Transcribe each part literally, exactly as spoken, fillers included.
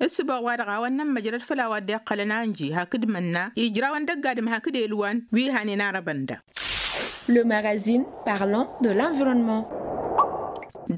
Ǝssǝboɣ wa-dăɣ a-wa ǝnnăn măjrăd făll-a-wa dd-iqqălăn anji hakd mănna ijrawăn dăgg-adǝm hakd elwan wi hanen arăbăn da. Le magazine parlant de l'environnement.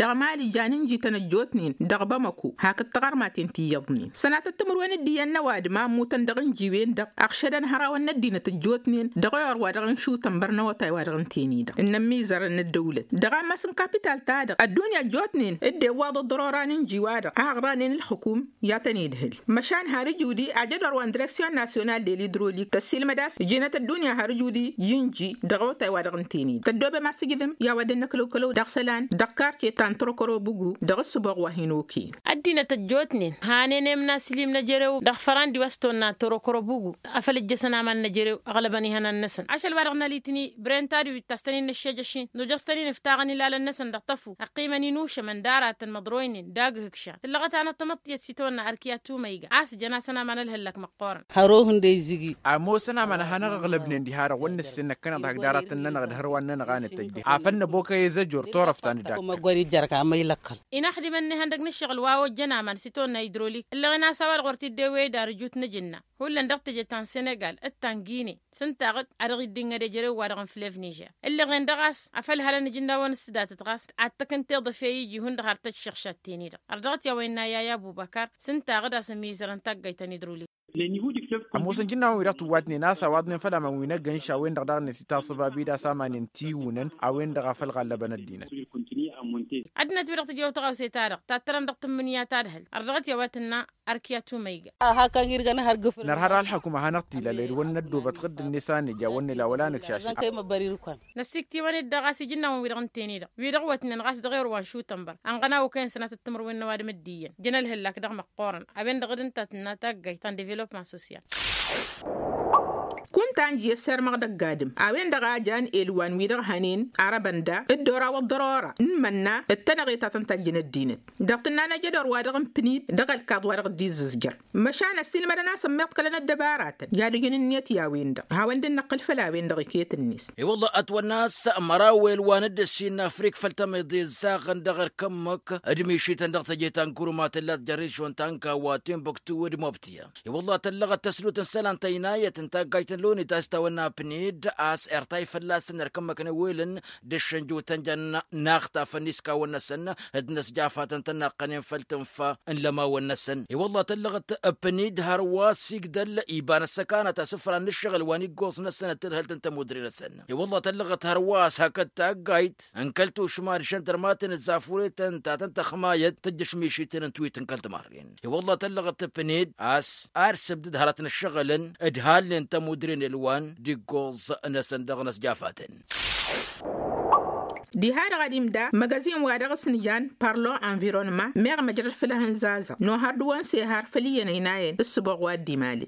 Dăɣ-mali jan ǝnjităn ăjjootnen dăɣ-bamăko hakd taɣărmaten ti iyyăḍnen sănatăt timǝrwen d-iyyăn n-ăwadǝm a ǝmmutăn dăɣ-ǝnji-wen-dăɣ ăɣšădăn hărawăn n-ăddinăt ăjjootnen dăɣ-ewăr wa dăɣ-inšutăn băr n-awătay wa dăɣ-ǝnten-i-dăɣ ǝnnăn mizărăn n-ăddăwlăt dăɣ-ammas n-kapital-ta-dăɣ ăddunya ăjjootnen dd-iwwaḍ ăḍḍărora n-ǝnji-wa-dăɣ a ăɣranen ǝlxǝkum i-ad-tăn-idhǝl măšan har ǝjudi ajădor wa n-direksyon nasyonal de l-idrolik tăssiilmăd a-s ǝjǝnăt ăddunya har ǝjudi i-ǝnji dăɣ-awătay wa dăɣ-ǝnten-i-dăɣ tăddoobem a-s ǝjdǝm i-a-wa dd-năkălăwkălăw dăɣ-isălan dăɣ-karce ta n-tărokărobugu dăɣ-ǝssǝboɣ wa hin-okăyăn. Ăddinăt ăjjootnen hanen i-imnasǝlim n-ejărew dăɣ-fărandi wa s-tonna tărokărobugu afăl ǝjjăsăn aman n-ejărew ăɣlăbăn ihănan-năsăn ašăl wa dăɣ-nălitni brentadi wi t-tastăn-in nǝššejăš-in nujăs-tăn-in ǝftaɣăn ilalăn-năsăn dăɣ-tăfu ăqqimăn-in ušămăn d-aratăn măḍroynen d-agǝhǝkšan tǝllăɣăt hanăt-tamăḍtiyăt s-itawănna arkiya tumăyga a-s jăn-asăn aman ălhăllak măqqoorăn. Hărăw hǝndăy zǝgi. Ămoosăn aman a hanăɣ-ăɣlăbnen diha-dăɣ wăr nǝssen năkkăneḍ hak d-aratăn-nănăɣ d-hărwan-nănăɣ a nǝtăjj diha afăl năbokăy ezăjor turăft ta n-dd-akka. Inaxdimăn n-ihăndăg n-ǝššăɣǝl wa ojjăn aman s-itawănna idrolik ǝllăɣen a-s a-wa-dăɣ wăr t-dd-ewăy d-arǝjut n-ajǝnna hullan dăɣ-teje ta n-senegal d-ta n-gine s-ǝntaɣ-dd a dăɣ-iddǝnnăd ejărew-wa-dăɣ n-flăv nižer ǝllăɣen dăɣ-a-s afăl hălăn ijǝnnawăn s-datăt ɣas ad-t-ăkǝntăyăḍ efăy iji hundăɣ har tăjšăɣšat-ten-i-dăɣ ărdăɣăt i-a-wa innă yaya ăbubăkar s-ǝntaɣ-dd a-s ămizărăn taggayt ta n-idruli. Ămoosăn ijǝnnawăn-wi-dăɣ tǝwwatnen a-s ăwaḍnen făll-aman wi n-ăggăn š-a-wen-dăɣ daɣ-net itaṣăbab-i d-asamanen tiwǝnăn a-wen-dăɣ a făl ɣallăbăn ăddinăt. Ăddinăt-wi-dăɣ tǝjrăw tăɣawse-ta-dăɣ tattărăn dăɣ-tǝmmǝnǝya ta d-ehăl ărdăɣăt i-a-wa tǝnna. Arkiya tumăyga. Nărha dăɣ-ălxăkum a hanăɣ-t-ila led wăr năddoobăt ɣǝdd-net a nǝja wăr nǝla wăla nǝkšašăt. Năsiktiwăn-dd dăɣ-a-s ijǝnnawăn-wi-dăɣ ǝnten-i-dăɣ wi-dăɣ wătnen ɣas dăɣ-erwan šutănbăr ănɣănaw okăyăn sănatăt timǝrwen n-ăwadǝm dd-iyyăn jăn ălhǝllak dăɣ-măqqoorăn a-wen-dăɣ d-ǝnta a tǝnna taggayt ta n-developman sosyal. Kunta ǝnji ăssirmăɣ dăgg-adǝm a-wen-dăɣ a jan elwan-wi-dăɣ hănen arăbăn da dd-oraw ăḍḍărora n-imănna d-tenăɣe ta tăn-tajjăn ăddinăt dăɣ-tǝnna n-ajădor-wa-dăɣ n-pǝnit dăɣ-ălkaḍ-wa-dăɣ dd-izzǝzjăr. Măšan ăssiilmădăn a-s ămmiḍkălăn ăddăbaratăn i-ad-ǝjǝn ǝnniyăt i-a-wen-dăɣ hawăn-dd-năqqǝl făll-a-wen-dăɣ iket-net. I-wălla ătwănna a-s măraw elwan dd-ăssiinna afrik făll-tămiḍe ǝzzaɣăn dăɣ-erk ămmăk d-mišităn dăɣ-teje ta n-kuruma tǝllat jer-ižon ta n-kawa timbuktu d-mobtǝya. I-wălla tăllăɣăt tăslut n-isălan tăynayăt n-taggayt n-loni ta s-tawănna pnid a-s irtay fălla-săn erk ămmăk n-ewelăn d-ǝššǝnjutăn jăn-inaxtafăn iskawăn-năsăn d-inăsjafatăn tănnaqqănen făll-tǝnfa n-lămawăn-năsăn i-wălla tăllăɣăt pnid hărwa s-igdăl iba n-ăssăkanăt asǝfran n-ǝššăɣǝl wa n-iggoẓ-năsăn d-tadhǝlt n-tămudre-năsăn. I-wălla tăllăɣăt hărwa a-s hakd taggayt n-kăl-tušma d-žăndărmatăn d-zafuretăn ta tăn-tăxmayăt tǝjjăš mišităn n-tiwit n-kăl-timarren. I-wălla tăllăɣăt pnid a-s ar sǝbdǝd hărăt n-ǝššăɣǝlăn d-halnen tămudre n-elwan d-iggoẓ-năsăn dăɣ-inăsjafatăn. Diha-dăɣ ad-imda măgăzin-wa-dăɣ s-nǝjan parlon environnement meɣ măjrăd făll-ehăn zazăɣ nohăr d-wăn s-ehăr făll-iyyăn ăynayăn d-ǝssǝboɣ wa dd-imalen.